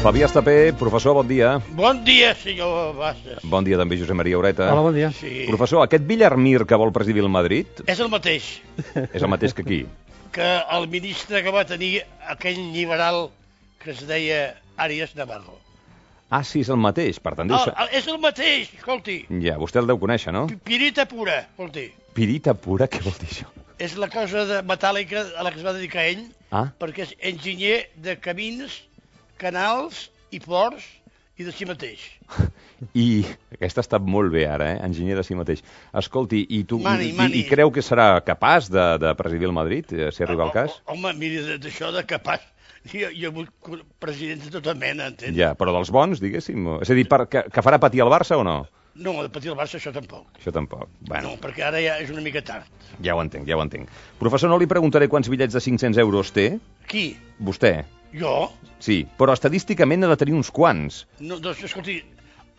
Fabià Estapé, professor, bon dia. Bon dia, senyor Bassas. Bon dia també, Josep Maria Ureta. Hola, bon dia. Sí. Professor, aquest Villarmir que vol presidir el Madrid És el mateix és el mateix que aquí. que el ministre que va tenir aquell liberal que es deia Arias Navarro. Ah, sí, és el mateix, per tant deu ser... És el mateix, escolti. Ja, vostè el deu conèixer, no? Pirita pura, escolti. Pirita pura, què vol dir això? És la cosa de metàl·lica a la que es va dedicar ell, perquè és enginyer de camins, canals i ports i de si mateix. I aquesta ha estat molt bé ara, enginyer de si mateix. Escolti, i tu Mani. I creu que serà capaç de presidir el Madrid, si arriba el cas? Home, miri, d'això de capaç... Jo he hagut presidents de tota mena, entens? Ja, però dels bons, diguéssim. És a dir, que farà patir el Barça o no? No, de patir el Barça això tampoc. Això tampoc. Bueno. No, perquè ara ja és una mica tard. Ja ho entenc, ja ho entenc. Professor, no li preguntaré quants bitllets de 500 euros té. Qui? Vostè. Jo? Sí, però estadísticament ha de tenir uns quants. No, doncs, escolti,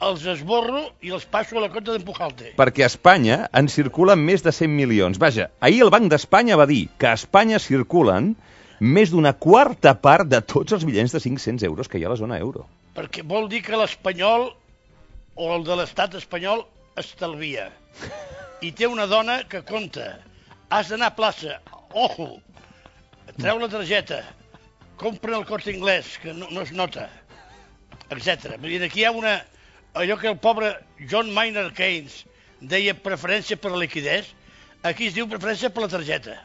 els esborro i els passo a la compta d'en Pujalte. Perquè a Espanya en circulen més de 100 milions. Vaja, ahir el Banc d'Espanya va dir que a Espanya circulen més d'una quarta part de tots els bitllets de 500 euros que hi ha a la zona euro. Perquè vol dir que l'espanyol o el de l'estat espanyol estalvia. I té una dona que compta. Has d'anar a plaça, ojo, treu la targeta, compra el Corte Inglés, que no es nota, etc. Vull dir, aquí hi ha allò que el pobre John Maynard Keynes deia preferència per la liquidez, aquí es diu preferència per la targeta.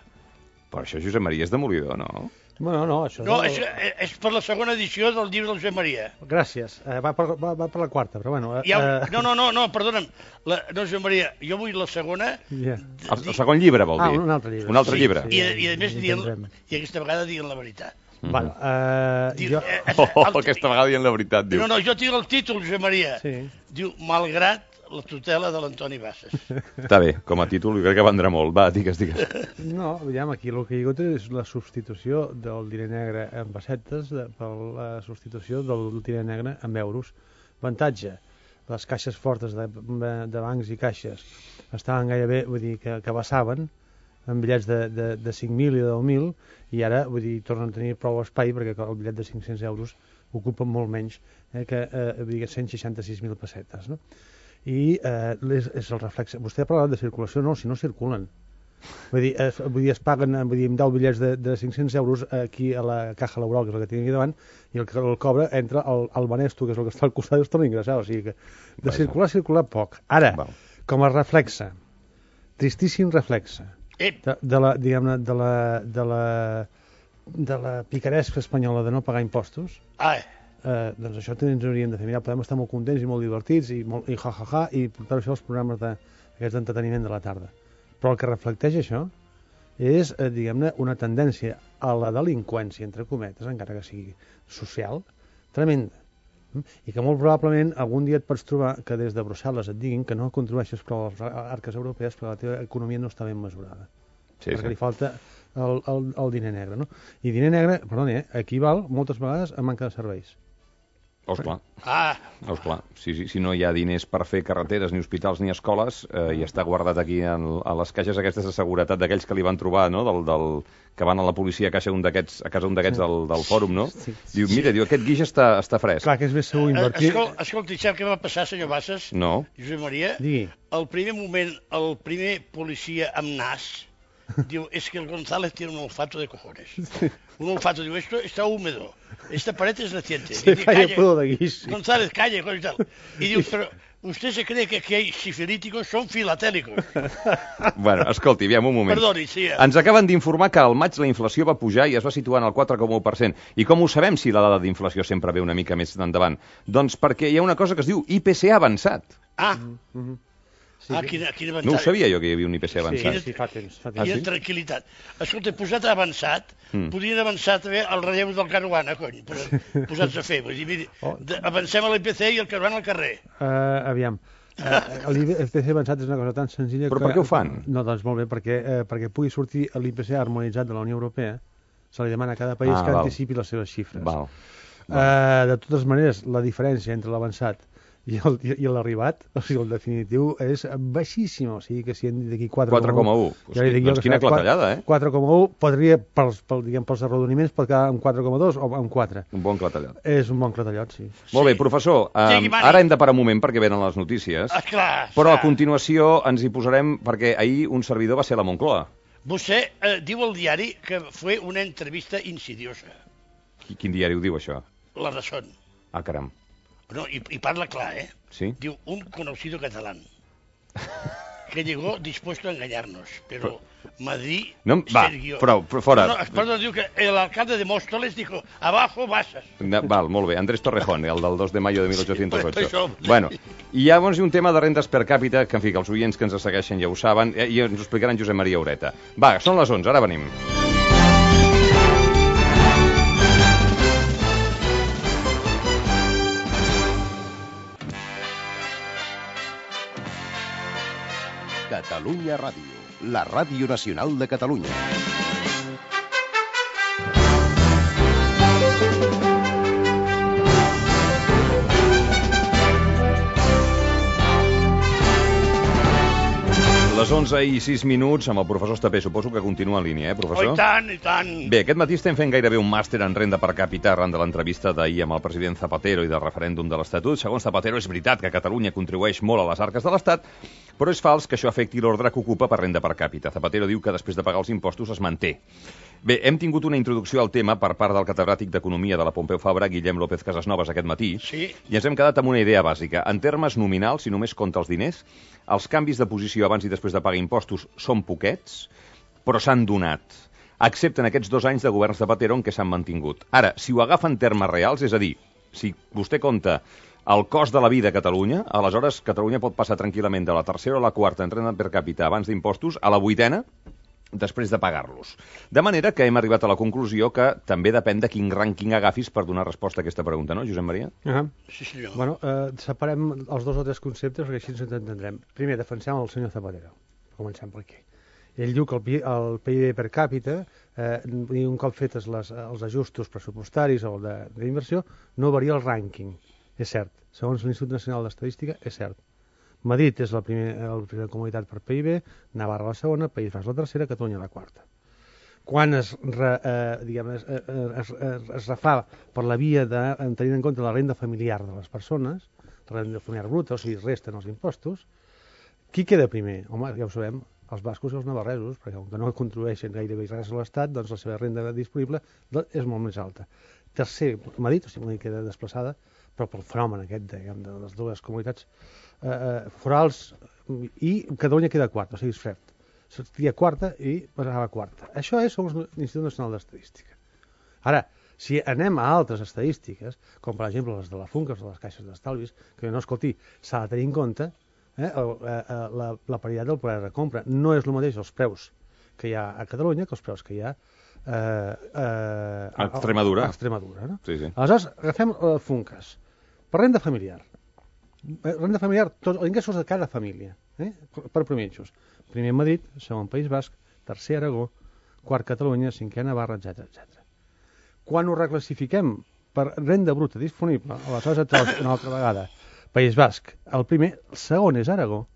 Però això, Josep Maria, és demolidor, no? No, això... No, és per la segona edició del llibre del Josep Maria. Gràcies. Va per la quarta, però bueno... No, perdona'm. No, Josep Maria, jo vull la segona... Yeah. El segon llibre, vol dir? Un altre llibre. Un altre llibre. I a més, i aquesta vegada dient la veritat. Bueno, aquesta vegada dient la veritat, diu. No, jo tinc el títol, Josep Maria. Sí. Diu, malgrat la tutela de l'Antoni Bassas. Està bé, com a títol, jo crec que vendrà molt. Va, digues. No, aviam, aquí el que hi ha hagut és la substitució del diner negre en pessetes per la substitució del diner negre en euros. Avantatge, les caixes fortes de bancs i caixes estaven gairebé, vull dir, que vessaven en bitllets de 5.000 i de 10.000 i ara, vull dir, tornen a tenir prou espai perquè el bitllet de 500 euros ocupa molt menys que 166.000 pessetes, no? I és el reflex. Vostè ha parlat de circulació, no, si no circulen. Vull dir, es paguen amb 10 bitllets de 500 euros aquí a la caja laboral, que és el que tinc aquí davant, i el que el cobra entra al Banesto, que és el que està al costat, i es torna a ingressar. O sigui que de circular poc. Ara, com a reflexe, tristíssim reflexe, de la picaresca espanyola de no pagar impostos, doncs això ens hauríem de fer. Mira, podem estar molt contents i molt divertits i ja, i portar això als programes aquests d'entreteniment de la tarda. Però el que reflecteix això és, diguem-ne, una tendència a la delinqüència, entre cometes, encara que sigui social, tremenda. I que molt probablement algun dia et pots trobar que des de Brussel·les et diguin que no contribueixes prou a les arques europees perquè la teva economia no està ben mesurada. Perquè li falta el diner negre, no? I diner negre, perdoni, equival moltes vegades a manca de serveis. Esclar. Si no hi ha diners per fer carreteres, ni hospitals, ni escoles, i està guardat aquí a les caixes aquestes de seguretat d'aquells que li van trobar, no?, que van a la policia a casa un d'aquests del fòrum, no? Diu, mira, aquest guix està fresc. Clar, que és més segur invertir... Escolti, sap què va passar, senyor Bassas? No. Josep Maria? Digui. Al primer moment, el primer policia amb nas diu, es que el González tiene un olfato de cojones. Un olfato, diu, esto está húmedo. Esta pared es reciente. González, calla, y tal. Y diu, pero usted se cree que aquí hay sifilíticos, son filatélicos. Bueno, escolti, aviam un moment. Perdoni, sí. Ens acaben d'informar que al maig la inflació va pujar i es va situar en el 4,1%. I com ho sabem si la dada d'inflació sempre ve una mica més endavant? Doncs perquè hi ha una cosa que es diu IPC avançat. Sí. Quina avançat. No ho sabia jo que hi havia un IPC avançat. Sí, fa temps. Quina tranquil·litat. Escolta, posat avançat, podrien avançar també el relleu del Caruana, cony, posats a fer. Vull dir, avancem a l'IPC i el Caruana al carrer. Aviam. L'IPC avançat és una cosa tan senzilla... Però per què ho fan? No, doncs molt bé, perquè pugui sortir l'IPC harmonitzat de la Unió Europea, se li demana a cada país que anticipi les seves xifres. De totes maneres, la diferència entre l'avançat I l'arribat, o sigui, el definitiu és baixíssim, o sigui que si hem dit aquí 4,1... 4,1. Doncs quina clatellada, 4,1 podria, pels arrodoniments, pot quedar amb 4,2 o amb 4. Un bon clatellot. És un bon clatellot, sí. Molt bé, professor, ara hem de parar un moment perquè venen les notícies, però a continuació ens hi posarem perquè ahir un servidor va ser a la Moncloa. Vostè diu al diari que fue una entrevista insidiosa. Quin diari ho diu, això? La Razón. Ah, caram. No, y parla clar, Sí. Diu, un conocido catalán que llegó dispuesto a engañarnos, pero Madrid... No, va, prou, fora. Perdón, diu que el alcalde de Móstoles dijo, abajo Bassas. Val, molt bé, Andrés Torrejón, el del 2 de mayo de 1808. Bueno, i llavors hi ha un tema de rendes per càpita, que en fi, que els oients que ens segueixen ja ho saben, i ens ho explicaran Josep Maria Ureta. Va, són les 11, ara venim. Catalunya Ràdio, la ràdio nacional de Catalunya. Les 11 i 6 minuts amb el professor Estapé. Suposo que continua en línia, professor? Oh, i tant, i tant. Bé, aquest matí estem fent gairebé un màster en renda per càpita arran de l'entrevista d'ahir amb el president Zapatero i del referèndum de l'Estatut. Segons Zapatero, és veritat que Catalunya contribueix molt a les arques de l'Estat, però és fals que això afecti l'ordre que ocupa per renda per càpita. Zapatero diu que després de pagar els impostos es manté. Bé, hem tingut una introducció al tema per part del catedràtic d'Economia de la Pompeu Fabra, Guillem López Casasnovas, aquest matí, sí. I ens hem quedat amb una idea bàsica. En termes nominals, si només compta els diners, els canvis de posició abans i després de pagar impostos són poquets, però s'han donat, excepte en aquests 2 anys de govern Zapatero en què s'han mantingut. Ara, si ho agafa en termes reals, és a dir, si vostè compta el cost de la vida a Catalunya, aleshores Catalunya pot passar tranquil·lament de la tercera o la quarta en renda per càpita abans d'impostos a la 8ª, després de pagar-los. De manera que hem arribat a la conclusió que també depèn de quin rànquing agafis per donar resposta a aquesta pregunta, no, Josep Maria? Sí, senyor. Bueno, separem els 2 o 3 conceptes perquè així ens entendrem. Primer, defensem el senyor Zapatero. Comencem per aquí. Ell diu que el PIB per càpita, un cop fetes els ajustos pressupostaris o d'inversió, no varia el rànquing. És cert. Segons l'Institut Nacional d'Estadística, és cert. Madrid és la primera comunitat per PIB, Navarra la segona, País Basc la tercera, Catalunya la quarta. Quan es refà per la via de tenir en compte la renda familiar de les persones, la renda familiar bruta, o sigui, resten els impostos, qui queda primer? Home, ja ho sabem, els bascos i els navarresos, perquè com que no contribueixen gairebé res a l'Estat, doncs la seva renda disponible és molt més alta. Tercer, Madrid, o sigui, Madrid queda desplaçada, però pel fenomen aquest, diguem, de les dues comunitats forals, i Catalunya queda quarta, o sigui, és fred. Seria quarta i passava quarta. Això és segons l'Institut Nacional d'Estadística. Ara, si anem a altres estadístiques, com per exemple les de la FUNCAS, de les caixes d'estalvis, que no, escolti, s'ha de tenir en compte la paritat del poder de compra. No és el mateix els preus que hi ha a Catalunya que els preus que hi ha a Extremadura. No? Sí, sí. Aleshores, agafem FUNCAS. Per renda familiar. Renda familiar, tots els ingressos de cada família, per prominxos. Primer Madrid, segon País Basc, tercer Aragó, quart Catalunya, cinquè Navarra, etc. Quan ho reclassifiquem per renda bruta disponible, aleshores et una altra vegada, País Basc, el primer, el segon és Aragó,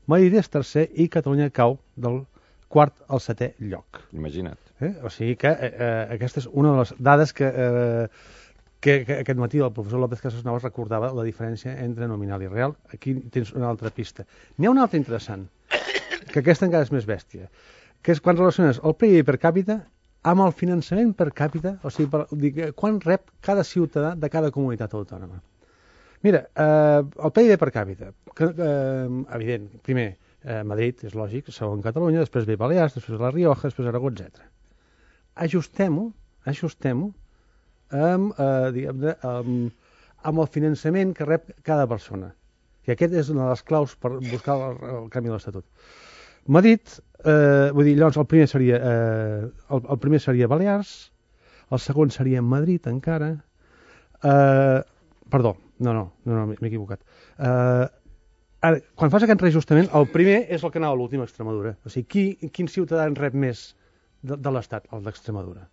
Madrid és tercer i Catalunya cau del quart al 7è lloc. Imagina't. O sigui que aquesta és una de les dades que aquest matí el professor López Casasnovas recordava la diferència entre nominal i real. Aquí tens una altra pista. N'hi ha una altra interessant, que aquesta encara és més bèstia, que és quan relaciones el PIB per càpita amb el finançament per càpita, o sigui, quan rep cada ciutadà de cada comunitat autònoma. Mira, el PIB per càpita, evident, primer Madrid, és lògic, segon Catalunya, després ve Balears, després La Rioja, després Aragó, etc. Ajustem-ho amb el finançament que rep cada persona. I aquest és una de les claus per buscar el canvi de l'Estatut. Madrid, llavors el primer seria Balears, el segon seria Madrid encara, perdó, no, m'he equivocat. Ara, quan fas aquest reajustament, el primer és el que anava a l'última, Extremadura. O sigui, quin ciutadà en rep més de l'Estat? El d'Extremadura.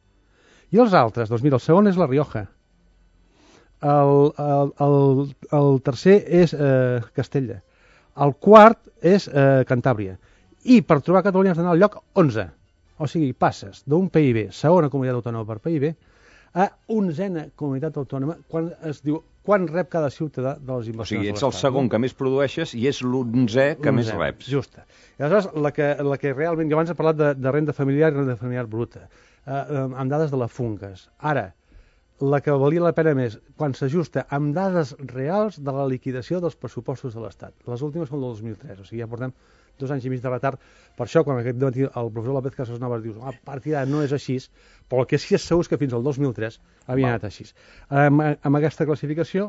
I els altres, doncs mira, el segon és La Rioja. el tercer és Castella. El quart és Cantàbria. I per trobar Catalunya has d'anar al lloc 11. O sigui, passes d'un PIB, segona comunitat autònoma per PIB, a 11a comunitat autònoma quan es diu quan rep cada ciutadà de les inversions. O sigui, ets el segon que més produeixes i és l'11è que més reps. Justa. I aleshores, la que realment... Jo abans he parlat de renda familiar i renda familiar bruta, amb dades de la FUNCAS. Ara, la que valia la pena més, quan s'ajusta amb dades reals de la liquidació dels pressupostos de l'Estat. Les últimes són del 2003, o sigui, ja portem 2 anys i mig de retard. Per això, quan aquest matí el professor López Casasnovas diu a partir d'ara no és així, però el que sí és segur és que fins al 2003 havia anat així. Amb aquesta classificació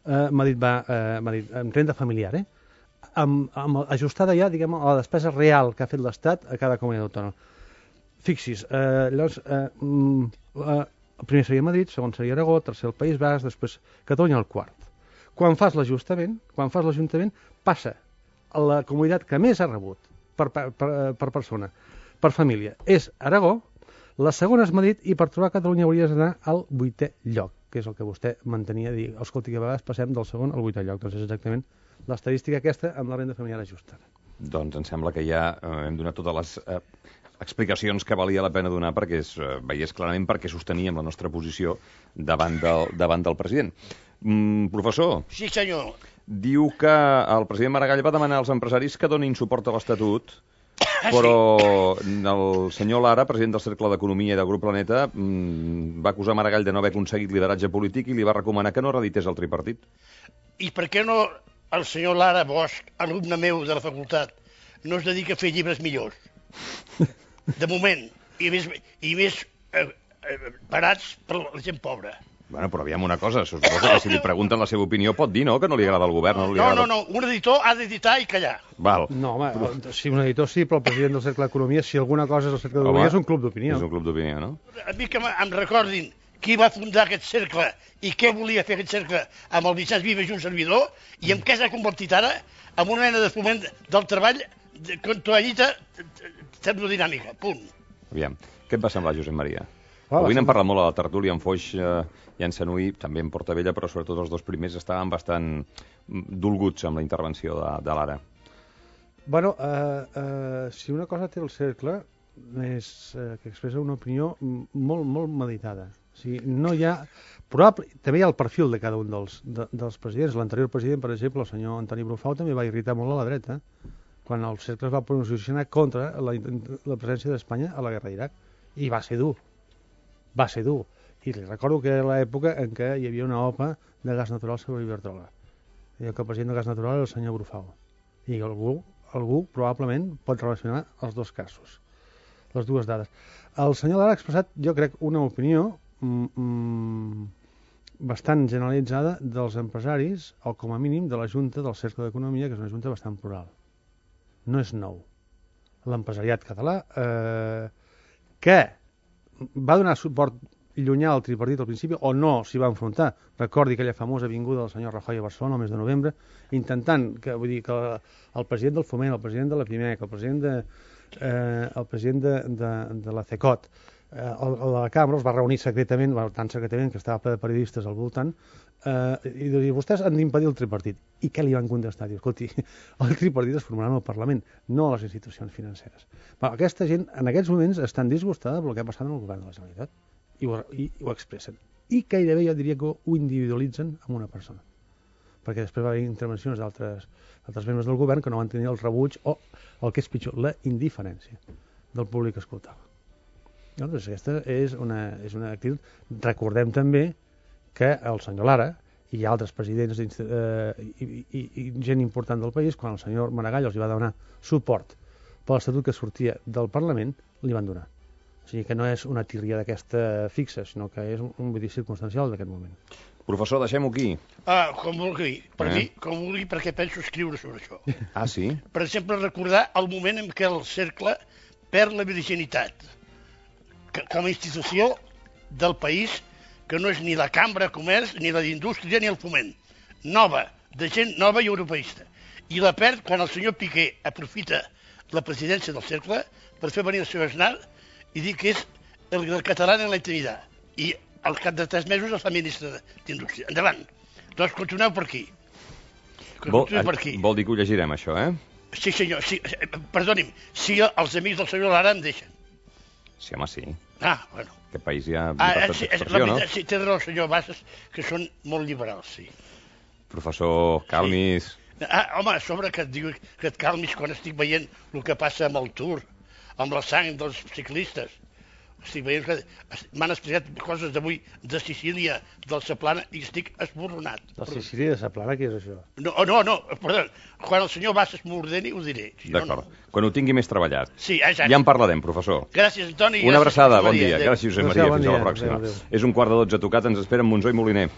m'ha dit amb renda familiar, ajustada ja, diguem, a la despesa real que ha fet l'Estat a cada comunitat autònoma. Fixis, llavors, el primer seria Madrid, segon seria Aragó, tercer el País Basc, després Catalunya el quart. Quan fas l'Ajuntament, passa a la comunitat que més ha rebut per persona, per família, és Aragó, la segona és Madrid i per trobar Catalunya hauries d'anar al 8è lloc, que és el que vostè mantenia, dir, escolti, que a vegades passem del segon al 8è lloc, doncs és exactament l'estadística aquesta amb la renda familiar ajustada. Doncs em sembla que ja hem donat totes les explicacions que valia la pena donar perquè es veiés clarament perquè sosteníem la nostra posició davant del president. Professor. Sí, senyor. Diu que el president Maragall va demanar als empresaris que donin suport a l'Estatut, però el senyor Lara, president del Cercle d'Economia i del Grup Planeta, va acusar Maragall de no haver aconseguit lideratge polític i li va recomanar que no reedités el tripartit. I per què no el senyor Lara Bosch, alumne meu de la facultat, no es dedica a fer llibres millors? De moment, i més parats per la gent pobra. Bueno, però aviam una cosa, suposo que si li pregunten la seva opinió pot dir, no?, que no li agrada el govern. No, un editor ha d'editar i callar. Val. No, home, si un editor sí, però el president del Cercle d'Economia, si alguna cosa és el Cercle d'Economia, és un club d'opinió. És un club d'opinió, no? A mi que em recordin qui va fundar aquest cercle i què volia fer aquest cercle amb el Vicenç Vives i un servidor, i en què s'ha convertit ara en una mena de foment del treball con toallita termodinàmica, punt. Aviam, què et va semblar, Josep Maria? Avui n'hem parlat molt a la tertúlia, en Foix i en Sanui, també en Portavella, però sobretot els dos primers estaven bastant dolguts amb la intervenció de l'Ara. Bueno, si una cosa té el cercle és que expressa una opinió molt, molt meditada. O sigui, no hi ha... També hi ha el perfil de cada un dels presidents. L'anterior president, per exemple, el senyor Antoni Brufau, també va irritar molt a la dreta, quan el cercle es va posicionar contra la presència d'Espanya a la guerra d'Iraq. I va ser dur. Va ser dur. I li recordo que era l'època en què hi havia una OPA de gas natural sobre Iberdrola. I que el president de gas natural era el senyor Brufau. I algú probablement pot relacionar els dos casos, les dues dades. El senyor Lara ha expressat, jo crec, una opinió bastant generalitzada dels empresaris, o com a mínim de la Junta del Cercle d'Economia, que és una junta bastant plural. No és nou. L'empresariat català, que va donar suport llunyà al tripartit al principi, o no s'hi va enfrontar. Recordi aquella famosa vinguda del senyor Rajoy a Barcelona el mes de novembre, intentant que el president del Foment, el president de la PIMEC, el president de la CECOT, la cambra els va reunir secretament, tan secretament que estava ple de periodistes al voltant, i dir, vostès han d'impedir el tripartit. I què li van contestar? Diu, escolti, el tripartit es formarà en el Parlament, no a les institucions financeres. Però aquesta gent en aquests moments estan disgustada pel que ha passat en el govern de la Generalitat i ho expressen. I gairebé jo diria que ho individualitzen amb una persona. Perquè després va haver intervencions d'altres membres del govern que no van tenir el rebuig o, el que és pitjor, la indiferència del públic que escoltava. Doncs aquesta és una actitud. Recordem també que el senyor Lara i altres presidents i gent important del país, quan el senyor Maragall els va donar suport per l'Estatut que sortia del Parlament, li van donar. O sigui que no és una tírria d'aquesta fixa, sinó que és un vull dir circumstancial d'aquest moment. Professor, deixem-ho aquí. Com vulgui. Per mi, com vulgui, perquè penso escriure sobre això. Ah, sí? Per exemple, recordar el moment en què el cercle perd la virginitat com a institució del país, que no és ni la Cambra de Comerç, ni la d'Indústria, ni el Foment. Nova, de gent nova i europeista. I la perd quan el senyor Piqué aprofita la presidència del cercle per fer venir el senyor Aznar i dir que és el català en la intimitat. I al cap de 3 mesos es fa ministre d'Indústria. Endavant. Doncs continueu per aquí. Vol dir que ho llegirem, això, eh? Sí, senyor. Sí, perdoni'm, si els amics del senyor Lara em deixen. Sí, home, sí. Bueno. Aquest país hi ha llibertat d'expressió, no? Sí, té raó, senyor Bassas, que són molt liberals, sí. Professor, calmis. Sí. Home, a sobre que et diu que et calmis quan estic veient el que passa amb el Tour, amb la sang dels ciclistes. Estic veient que m'han explicat coses d'avui de Sicília, del Saplana, i estic esborronat. De Sicília, de Saplana, què és això? No, perdó. Quan el senyor Bassas m'ordeni, ho diré. D'acord. Quan ho tingui més treballat. Sí, exacte. Ja en parlarem, professor. Gràcies, Antoni. Una abraçada, bon dia. Gràcies, Josep Maria. Fins a la pròxima. Adéu. És 11:45 tocat, ens esperen Monzó i Moliner.